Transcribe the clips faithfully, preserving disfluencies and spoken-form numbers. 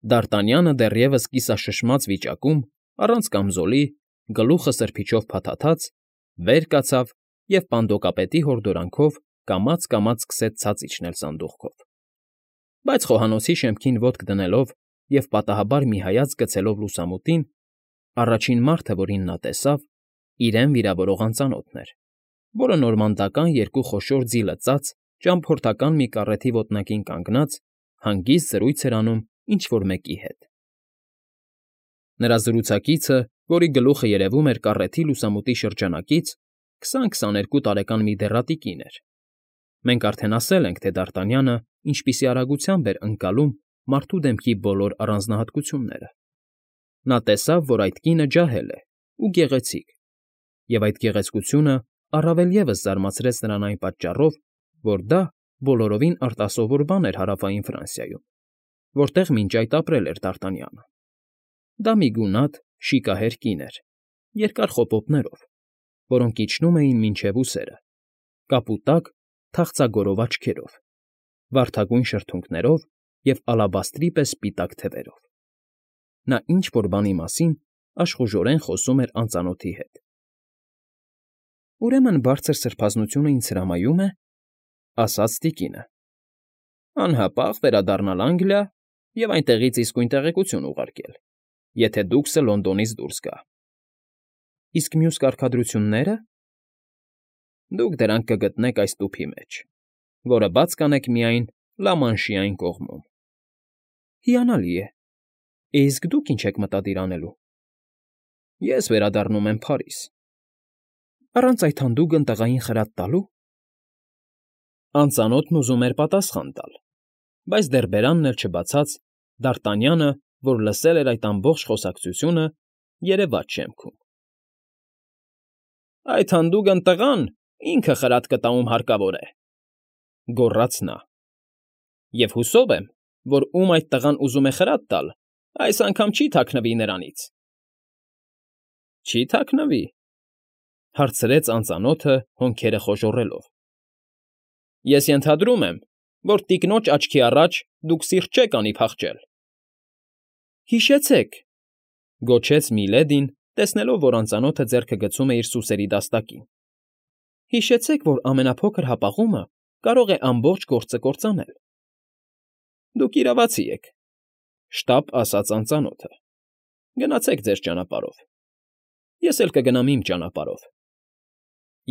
Դ'Արտանյանը դեռևս կիսաշշմած վիճակում, առանց կամզոլի, գլուխը սրբիչով փաթաթած, վեր կացավ և պանդոկապետի հորդորանքով կամաց֊կամաց սկսեց ցած իջնել սանդուղքով, բայց խոհանոցի շեմքին ոտք դնելով և պատահաբար մի հայացք գցելով լուսամուտին, առաջին մարդը, որին նա տեսավ, իրեն վիրավորող անծանոթն էր, որը նորմանդական երկու խոշոր ձի լծած ճամփորդական մի կառեթի ոտնակին կանգնած, հանգիստ զրույց էր անում ինչ֊որ մեկի հետ։ Նրա զրուցակիցը, որի գլուխը երևում էր կառեթի լուսամուտի շրջանակից, քսան֊քսաներկու տարեկան մի դեռատի կին էր. մենք արդեն ասել ենք, թե Դ'Արտանյանը ինչպիսի արագությամբ էր ընկալում մարդու դեմքի բոլոր առանձնահատկությունները. նա տեսավ, որ այդ կինը ջահել է ու գեղեցիկ, և այդ գեղեցկությունը առավել ևս զարմացրեց նրան այն պատճառով, որ դա բոլորովին արտասովոր բան էր Հարավային Ֆրանսիայում, որտեղ մինչ այդ ապրել էր Դ'Արտանյանը. դա մի գունատ, շիկահեր կին էր, երկար խոպոպներով, որոնք իջնում էին մինչև ուսերը, կապուտակ, թախծագորով աչքերով, վարդագույն շրթունքներով և ալաբաստրի պես սպիտակ թևերով. նա ինչ֊որ բանի մասին աշխուժորեն խոսում էր անծանոթի հետ։ ֊ Ուրեմն բարձր սրբազնությունը ինձ հրամայում է, ֊ ասաց տիկինը, ֊ անհապաղ վերադառնալ Անգլիա և այնտեղից իսկույն տեղեկություն ուղարկել, եթե դուքսը Լոնդոնից դուրս գա։ ֊ Իսկ մյուս կարգադրությո՞ւնները։ ֊ Դուք դրանք կգտնեք այս տուփի մեջ, որը բաց կանեք միայն Լա֊Մանշի այն կողմում։ ֊ Հիանալի է, է իսկ դուք ի՞նչ եք մտադիր անելու։ ֊ Ես վերադառնում եմ Փարիզ։ ֊ Առանց այդ հանդուգն տղային խրատ տալո՞ւ։ Անծանոթն ուզում էր պատասխան տալ, բայց դեռ բերանն էլ չբացած, Դ'Արտանյանը, որ լսել էր այդ ամբողջ խոսակցությունը, երևաց շեմքում։ ֊ Այդ հանդուգն տղան ինքը խրատ կտա, ում հարկավոր է, ֊ գոռաց նա,֊ և հուսով եմ, որ ում այդ տղան ուզում է խրատ տալ, այս անգամ չի թաքնվի նրանից։ ֊ Չի՞ թաքնվի,֊ հարցրեց անծանոթը հոնքերը խոժոռելով։ ֊ Ես ենթադրում եմ, որ տիկնոջ աչքի առաջ դուք սիրտ չեք անի փախչել։ ֊ Հիշեցեք,֊ գոչեց Միլեդին, տեսնելով, որ անծանոթը ձեռքը գցում է իր սուսերի դաստակին,֊ հիշեցեք, որ ամենափոքր հապաղումը կարող է ամբողջ գործը կործանել։ ֊ Դուք իրավացի եք,֊ շտապ ասաց անծանոթը,֊ գնացեք ձեր ճանապարհով, ես էլ կգնամ իմ ճանապարհով։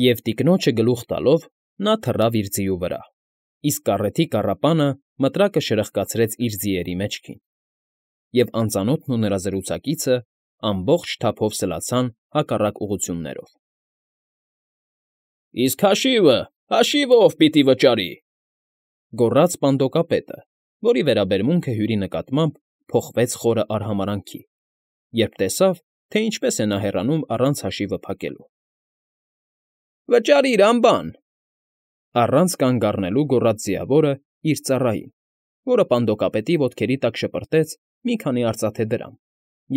Եվ տիկնոջը գլուխ տալով նա թռավ իր ձիու վրա, իսկ կառեթի կառապանը մտրակը շրխկացրեց իր ձիերի մեջքին, և անծանոթն ու նրա զրուցակիցը ամբողջ թափով սլացան հակառակ ուղղություններով։ ֊ Իսկ հաշիվը, հաշիվը ո՞վ պիտի վճարի,֊ գոռաց պանդոկապետը, որի վերաբերմունքը Հյուրի նկատմամբ փոխվեց խորը արհամարհանքի, երբ տեսավ, թե ինչպես է նա հեռանում առանց հաշիվը փակելու։ ֊ Վճարիր, անբան,֊ առանց կանգ առնելու գոռաց ձիավորը իր ծառային, որը պանդոկապետի ոտքերի տակ շպրտեց մի քանի արծաթե դրամ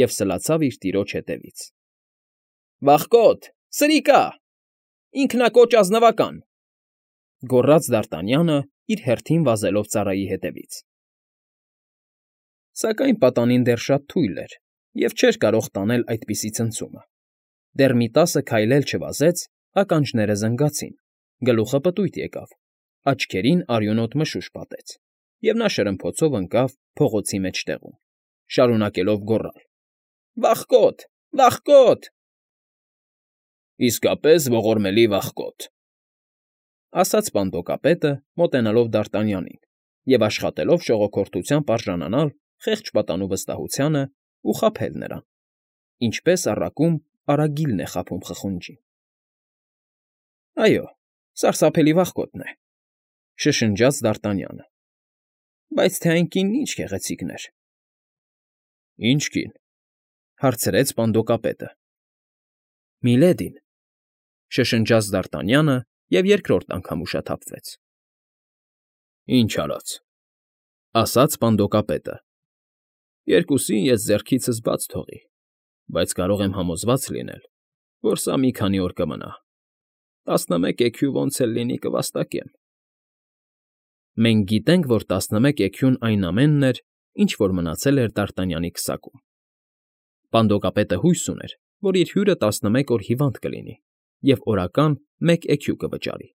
և սլացավ իր տիրոջ ետևից։ ֊ Վախկոտ, սրիկա, ինքնակոչ ազնվական,֊ գոռաց Դ'Արտանյանը իր հերթին վազելով ծառայի ետևից։ Սակայն պատանին դեռ շատ թույլ էր և չէր կարող տանել այդպիսի ցնցումը. դեռ մի տասը քայլ էլ չվազեց, ականջները զնգացին, գլուխը պտույտ եկավ, աչքերին արյունոտ մշուշ պատեց, և նա շրմփոցով ընկավ փողոցի մեջտեղում, շարունակելով գոռալ. «Վախկոտ, վախկոտ…» «Իսկապես ողորմելի վախկոտ,֊ ասաց պանդոկապետը, մոտենալով Դ'Արտանյանին և աշխատելով շողոքորթությամբ արժանանալ խեղճ պատանու վստահությանը ու խաբել նրան, ինչպես առակում արագիլն է խաբում խխունջին։ ֊ Այո, սարսափելի վախկոտն է,֊ շշնջաց Դ'Արտանյանը,֊ բայց թե այն կինն ինչ գեղեցիկն էր։ ֊ Ի՞նչ կին,֊ հարցրեց պանդոկապետը։ ֊ Միլեդին,֊ շշնջաց Դ'Արտանյանը և երկրորդ անգամ ուշաթափվեց։ ֊ Ինչ արած,֊ ասաց պանդոկապետը,֊ երկուսին ես ձեռքիցս բաց թողի, բայց կարող եմ համոզված լինել, որ սա մի քանի օր կմնա, տասնմեկ էքյու ոնց էլ լինի կվաստակեմ։ ֊ Մենք գիտենք, որ տասնմեկ էքյուն այն ամենն էր, ինչ որ մնացել էր Դ'Արտանյանի քսակում։ Պանդոկապետը հույս ուներ, որ իր հյուրը տասնմեկ օր հիվանդ կլինի և օրական մեկ էքյու կվճարի,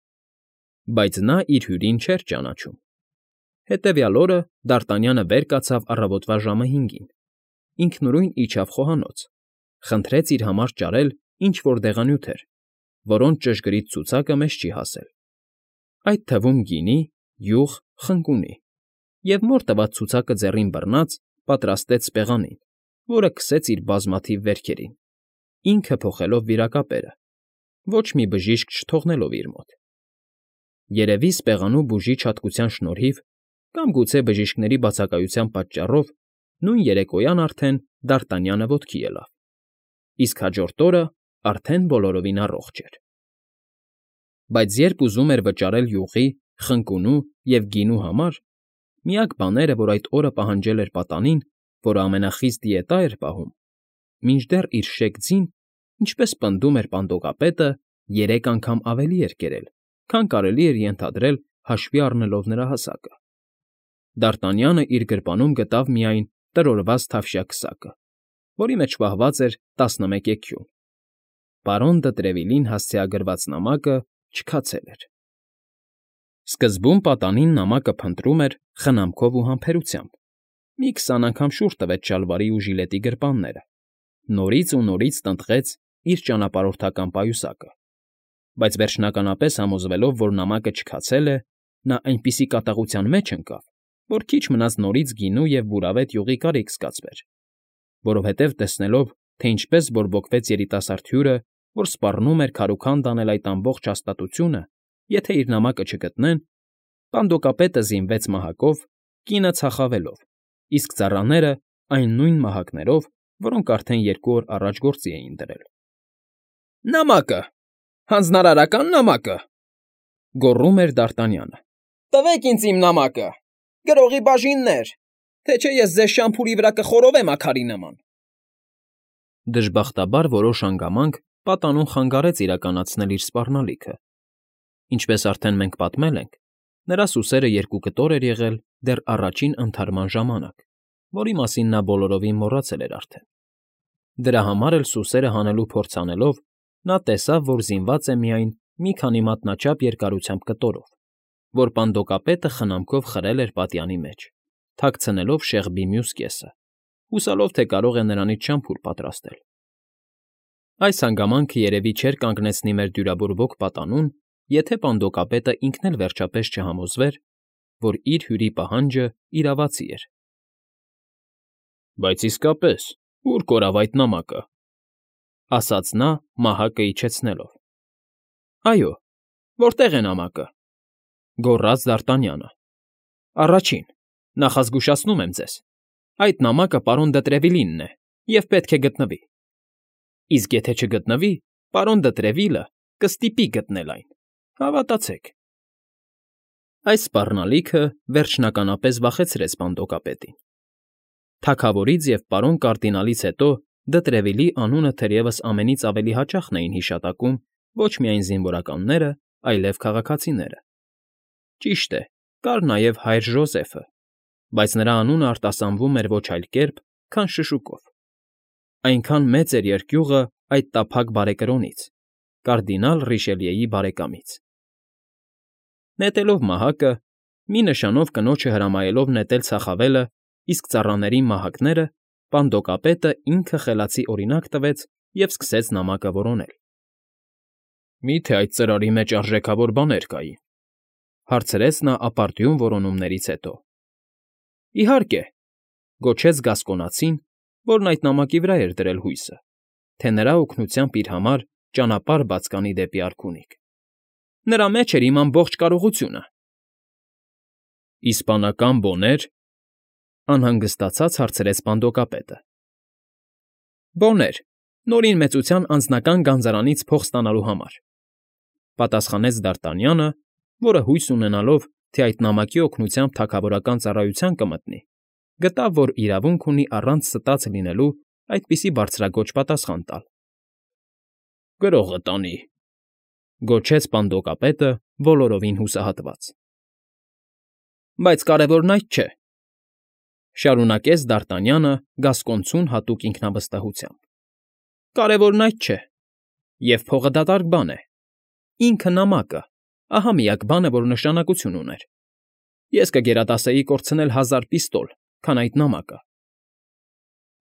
բայց նա իր հյուրին չէր ճանաչում։ Հետևյալ օրը Դ'Արտանյանը վեր կացավ առավոտվա ժամը հինգին, ինքնուրույն իջավ խոհանոց, խնդրեց իր համար ճարել ինչ֊որ դեղանյութեր, որոնց ճշգրիտ ցուցակը մեզ չի հասել, այդ թվում գինի, յուղ, խնկունի, և մոր տված ցուցակը ձեռին բռնած պատրաստեց սպեղանին, որը քսեց իր բազմաթիվ վերքերին, ինքը փոխելով վիրակապերը, ոչ մի բժիշկ չթողնելով իր մոտ։ Երևի սպեղանու բուժիչ հատկության շնորհիվ կամ գուցե բժիշկների բացակայության պատճառով նույն երեկոյան արդեն Դ'Արտանյանը ոտքի ելավ, իսկ հաջորդ օրը արդեն բոլորովին առողջ էր։ Բայց երբ ուզում էր վճարել յուղի, խնկունու և գինու համար, միակ բաները, որ այդ օրը պահանջել էր պատանին, որը ամենախիստ դիետա էր պահում, մինչդեռ իր շեկ ձին, ինչպես պնդում էր պանդոկապետը, երեք անգամ ավելի էր կերել, քան կարելի էր ենթադրել հաշվի առնելով նրա հասակը։ Դ'Արտանյանը իր գրպանում գտավ միայն տրորված թավշյա քսակը, որի մեջ պահված էր տասնմեկ էքյուն։ Պարոն դը Տրևիլին հասցեագրված նամակը չքացել էր։ Սկզբում պատանին նամակը փնտրում էր խնամքով ու համբերությամբ, մի քսան անգամ շուռ տվեց շալվարի ու ժիլետի գրպանները, նորից ու նորից տնտղեց իր ճանապարհորդական պայուսակը, բայց վերջնականապես համոզվելով, որ նամակը չքացել է, նա այնպիսի կատաղության մեջ ընկավ, որ քիչ մնաց նորից գինու և բուրավետ յուղի կարիք զգացվեր, որովհետև տեսնելով, թե ինչպես բորբոքվեց երիտասարդ հյուրը, որ սպառնում էր քարուքանդ անել այդ ամբողջ հաստատությունը, եթե իր նամակը չգտնեն, պանդոկապետը զինվեց մահակով, կինը ցախավելով, իսկ ծառաները այն նույն մահակներով, որոնք արդեն երկու օր առաջ գործի էին դրել։ ֊ Նամակը… հանձնարարական նամակը…֊ գոռում էր Դ'Արտանյանը։ ֊ Տվեք ինձ իմ նամակը… Գրողի բաժիններ… Թե չէ ես ձեզ շամփուրի վրա կխորովեմ աքարի նման… Դժբախտաբար որոշ հանգամանք պատանուն խանգարեց իրականացնել իր սպառնալիքը։ Ինչպես արդեն մենք պատմել ենք, նրա սուսերը երկու կտոր էր եղել դեռ առաջին ընդհարման ժամանակ, որի մասին նա բոլորովին մոռացել էր արդեն։ Դրա համար էլ սուսերը հանելու փորձ անելով, նա տեսավ, որ զինված է միայն մի քանի մատնաչափ երկարությամբ կտորով, որ պանդոկապետը խնամքով խրել էր պատյանի մեջ, թաքցնելով շեղբի մյուս կեսը, հուսալով, թե կարող է նրանից շամփուր պատրաստել։ Այս հանգամանքը երևի չէր կանգնեցնի մեր դյուրավորվող պատանուն, եթե պանդոկապետը ինքն էլ վերջապես չհամոզվեր, որ իր հյուրի պահանջը իրավացի էր։ ֊ Բայց իսկապես, ո՞ւր կորավ այդ նամակը,֊ ասաց նա մահակը իջեցնելով։ ֊ Այո, որտե՞ղ է նամակը,֊ գոռաց Դ'Արտանյանը։ ֊ Առաջին, նախազգուշացնում եմ ձեզ, այդ նամակը պարոն դը Տրևիլինն է և պետք է գտնվի, իսկ եթե չգտնվի, պարոն դը Տրևիլը կստիպի գտնել այն, հավատացեք… Այս սպառնալիքը վերջնականապես վախեցրեց պանդոկապետին։ Թագավորից և պարոն կարդինալից հետո դը Տրևիլի անունը թերևս ամենից ավելի հաճախն էին հիշատակում ոչ միայն զինվորականները, այլև քաղաքացիները։ Ճիշտ է, կար նաև հայր Ժոզեֆը, բայց նրա անունը արտասանվում էր ոչ այլ կերպ, քան շշուկով։ Այնքան մեծ էր երկյուղը այդ տափակ բարեկրոնից, կարդինալ Ռիշելիեի բարեկամից։ Նետելով մահակը, մի նշանով կնոջը հրամայելով նետել ցախավելը, իսկ ծառաներին մահակները, պանդոկապետը ինքը խելացի օրինակ տվեց և սկսեց նամակը որոնել։ ֊ Մի՞թե այդ ծրարի մեջ արժեքավոր բաներ կային,֊ հարցրեց նա ապարդյուն որոնումներից հետո։ ֊ Իհարկե,֊ գոչեց գասկոնացին, որն այդ նամակի վրա էր դրել հույսը, թե նրա օգնությամբ իր համար ճանապարհ բաց կանի դեպի արքունիք։ Նրա մեջ էր իմ ամբողջ կարողությունը։ ֊ Իսպանական բոնե՞ր,֊ անհանգստացած հարցրեց պանդոկապետը։ ֊ Բոներ, Նորին Մեծության անձնական գանձարանից փող ստանալու համար,֊ պատասխանեց Դ'Արտանյանը, որը հույս ունենալով, թե այդ նամակի օգնությամբ թագավորական ծառայության կմտնի, գտավ, որ իրավունք ունի առանց ստած լինելու այդպիսի բարձրաձոչ պատասխան տալ։ ֊ Գրողը տանի,֊ գոչեց պանդոկապետը բոլորովին հուսահատված։ ֊ Բայց կարևորն այդ չէ։ Շարունակեց Դարտանյանը գասկոնցուն հատուկ ինքնավստահությամբ։ Կարևորն այդ չէ, և փողը դատարկ բան է։ Ինքը նամակը, ահա միակ բանը, որ նշանակություն ուներ։ Ես կգերադասեի կորցնել հազար պիստոլ, քան այդ նամակը։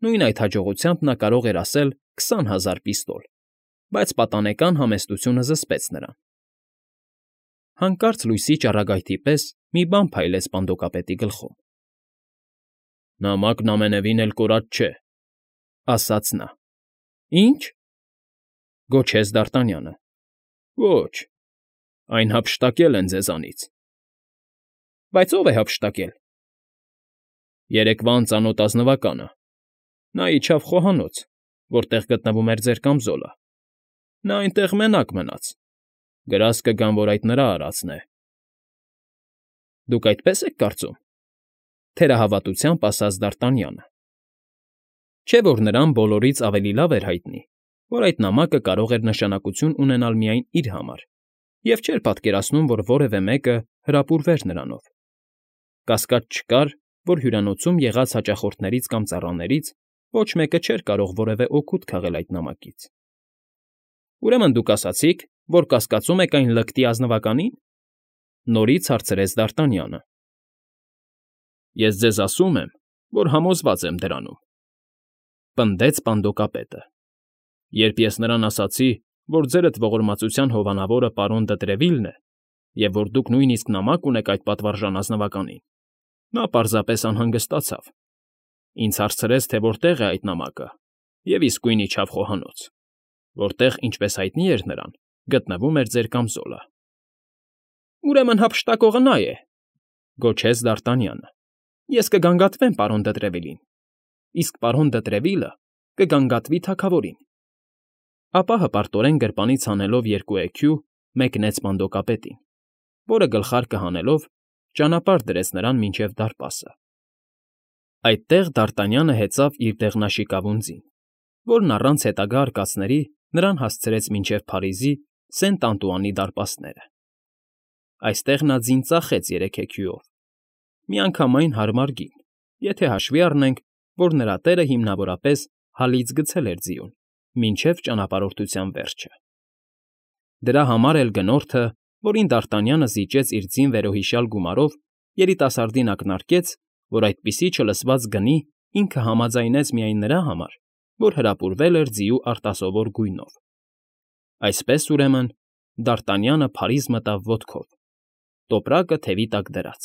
Նույն այդ հաջողությամբ նա կարող էր ասել քսան հազար պիստոլ, բայց պատանեկան համեստությունը զսպեց նրան։ Հանկարծ լույսի ճառագայթի պես մի բան փայլեց պանդոկապետի գլխում։ Նամակն ամենևին էլ կորած չէ, ասաց նա։ Ի՞նչ, գոչեց Դարտանյանը։ Ոչ, այն հափշտակել են ձեզանից։ Բայց ո՞վ է հափշտակել։ Երեկվա անծանոթ ազնվականը։ Նա իջավ խոհանոց, որտեղ գտնվում էր ձեր կամզոլը։ Նա այնտեղ մենակ մնաց։ Գրազ կգան, որ այդ նրա արածն է։ Դուք այդպես եք կարծում, թերահավատությամբ ասաց Դարտանյանը։ Չէ՞ որ նրան բոլորից ավելի լավ էր հայտնի, որ այդ նամակը կարող էր նշանակություն ունենալ միայն իր համար, և չէր պատկերացնում, որ որևէ մեկը հրապուրվեր նրանով։ Կասկած չկար, որ հյուրանոցում եղած հաճախորդներից կամ ծառաներից ոչ մեկը չէր կարող որևէ օգուտ քաղել այդ նամակից։ Ուրեմն դուք ասացիք, որ կասկածում եք այն լկտի ազնվականի՞ն,֊ նորից հարցրեց Դարտանյանը։ Ես ձեզ ասում եմ, որ համոզված եմ դրանում,֊ պնդեց պանդոկապետը։ Երբ ես նրան ասացի, որ ձերդ ողորմածության հովանավորը պարոն Դը է, և որ դուք նույնիսկ նամակ ունեք այդ պատվարժան ազնվականին, նա պարզապես անհանգստացավ։ Ինձ հարցրեց, թե որտեղ է այդ նամակը, և իսկույն իջավ խոհանոց, որտեղ, ինչպես հայտնի էր նրան, գտնվում էր ձեր կամզոլը։ Ուրեմն հափշտակողը նա է,֊ գոչեց Դարտանյանը։ Ես կգանգատվեմ պարոն Դը Տրևիլին, իսկ պարոն Դը Տրևիլը կգանգատվի թագավորին։ Ապա հպարտորեն գրպանից հանելով երկու էքյու, մեկնեց պանդոկապետին, որը գլխարկը հանելով ճանապարհ դրեց նրան մինչև դարպասը։ Այդտեղ Դարտանյանը հեծավ իր դեղնաշիկավուն ձին, որն առանց հետագա արկածների նրան հասցրեց մինչև Փարիզի Սենտ Անտուանի դարպասները։ Այստեղ նա ձին ծախեց երեք էքյուով, միանգամայն հարմար գին, եթե հաշվի առնենք, որ նրա տերը հիմնավորապես հալից գցել էր ձիուն, մինչև ճանապարհորդության վերջը։ Դրա համար էլ գնորդը, որին Դարտանյանը զիջեց իր ձին վերոհիշյալ գումարով, երիտասարդին ակնարկեց, որ այդպիսի չլսված գնի ինքը համաձայնեց միայն նրա համար, որ հրապուրվել էր ձիու արտասովոր գույնով։ Այսպես, ուրեմն, Դարտանյանը Փարիզ մտավ ոտքով, տոպրակը թևի տակ դրած,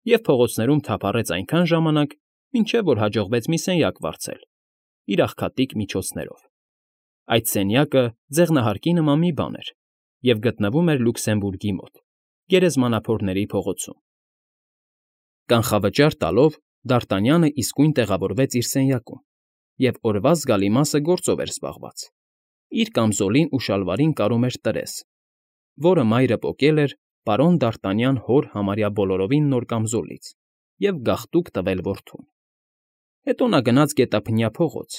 և փողոցներում թափառեց այնքան ժամանակ, մինչև որ հաջողվեց մի սենյակ վարձել իր աղքատիկ միջոցներով։ Այդ սենյակը ձեղնահարկի նման մի բան էր և գտնվում էր Լյուքսեմբուրգի մոտ, Գերեզմանափորների փողոցում։ Կանխավճար տալով Դարտանյանը իսկույն տեղավորվեց իր սենյակում և օրվա զգալի մասը գործով էր զբաղված։ Իր կամզոլին ու շալվարին կարում էր տրես, որը մայրը պոկել էր պարոն Դարտանյան հոր համարյա բոլորովին նոր կամզոլից և գաղտուկ տվել որդուն։ Հետո նա գնաց գետափնյա փողոց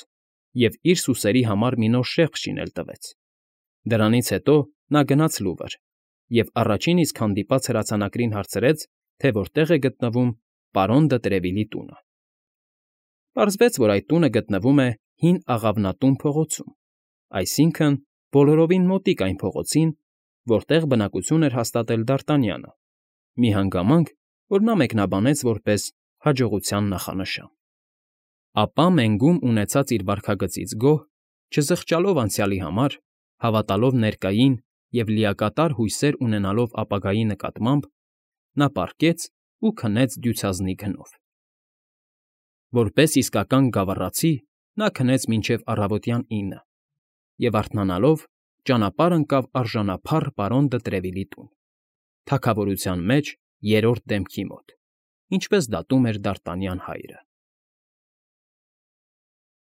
և իր սուսերի համար մի նոր շեղբ շինել տվեց։ Դրանից հետո նա գնաց Լուվր և առաջին իսկ հանդիպած հրացանակրին հարցրեց, թե որտեղ է գտնվում պարոն Դը Տրևիլի տունը։ Պարզվեց, որ այդ տունը գտնվում է Հին Աղավնատուն փողոցում, այսինքն՝ բոլորովին մոտիկ այն փողոցին, որտեղ բնակություն էր հաստատել Դարտանյանը, մի հանգամանք, որ նա մեկնաբանեց որպես հաջողության նախանշան։ Ապա մենգում ունեցած իր վարքագծից գոհ, չզղջալով անցյալի համար, հավատալով ներկային և լիակատար հույսեր ունենալով ապագայի նկատմամբ, նա պառկեց ու քնեց դյուցազնի գնով։ Որպես իսկական գավառացի նա քնեց մինչև առավոտյան ինը և, արթնանալով, ճանապարհ ընկավ արժանափառ պարոն Դը Տրևիլի տուն, թագավորության մեջ երրորդ դեմքի մոտ, ինչպես դատում էր Դարտանյան հայրը։